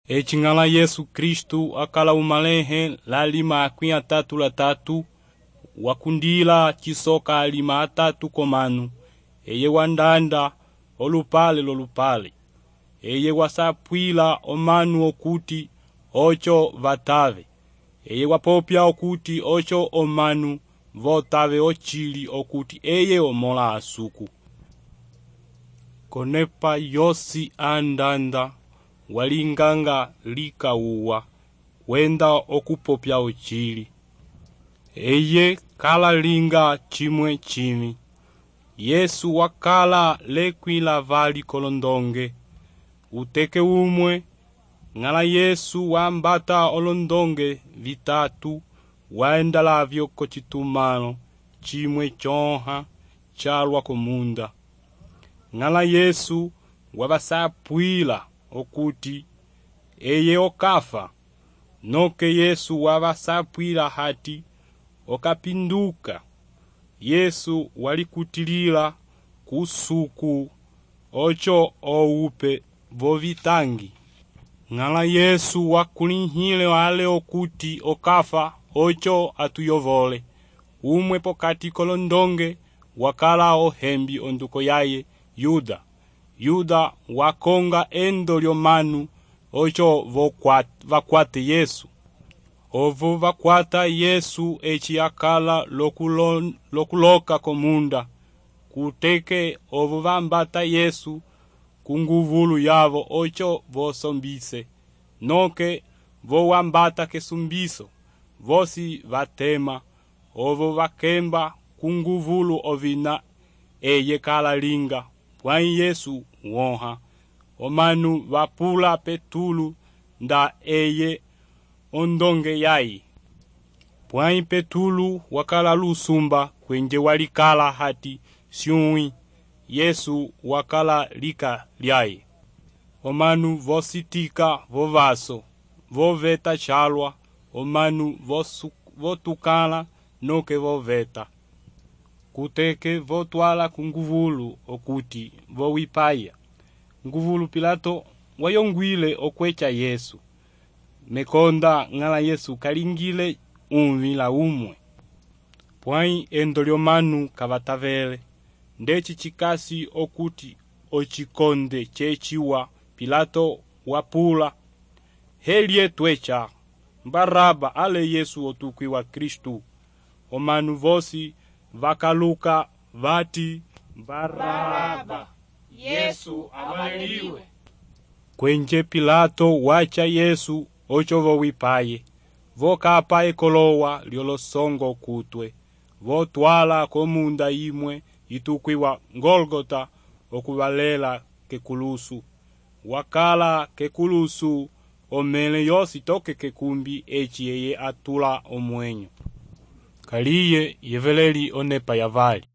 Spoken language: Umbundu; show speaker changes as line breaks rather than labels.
Ecing'ala Yesu Kristu akala umalehe lalima akwia tatu la tatu wakundila chisoka alima atatu komanu eye wandanda olupale lolupale eye wasapwila omanu okuti ocho vatave eye wapopya okuti ocho omanu votave ochili okuti eye omola asuku konepa yosi andanda walinganga likauwa wenda okupopya ochili eye kala linga chimwe chimi Yesu wakala lekwila vali kolondonge uteke umwe ngala Yesu wambata olondonge vitatu waenda lavyo kochitumano chimwe chonha chalwa komunda ngala Yesu wavasapwila okuti eye okafa noke Yesu wavasapwila hati okapinduka Yesu walikutilila kusuku ocho oupe vovitangi ngala Yesu wakulihile wale okuti okafa ocho atuyovole umwe pokati kolondonge wakala ohembi onduko yaye Yuda wakonga endo lyomanu ocho vakwate Yesu ovo vakwata Yesu echi akala lokuloka komunda kuteke ovo vambata Yesu kunguvulu yavo ocho vosombise noke vo wambata kesumbiso vosi vatema ovo vakemba kunguvulu ovina eye kala linga pwai Yesu wonha omanu vapula Petulu nda eye ondonge yai pwai Petulu wakala lusumba kwenje walikala hati syui Yesu wakala lika lyai omanu vositika vovaso voveta chalwa omanu votukala noke voveta kuteke votwala kunguvulu okuti vowipaya nguvulu Pilato wayongwile okwecha Yesu mekonda ngala Yesu kalingile umvila umwe pwai endo lyomanu kavatavele ndeci chikasi okuti ochikonde chechiwa Pilato wapula helye twecha Baraba ale Yesu otukwi wa Kristu omanu vosi vakaluka vati Baraba Yesu amaliwe kwenje Pilato wacha Yesu ocho vowipaye vokapa ekolowa lyolosongo kutwe votwala komunda imwe itukwiwa Golgota okuvalela kekulusu wakala kekulusu omele yosi toke kekumbi echi eye atula omwenyo kaliye yeveleli onepa ya vali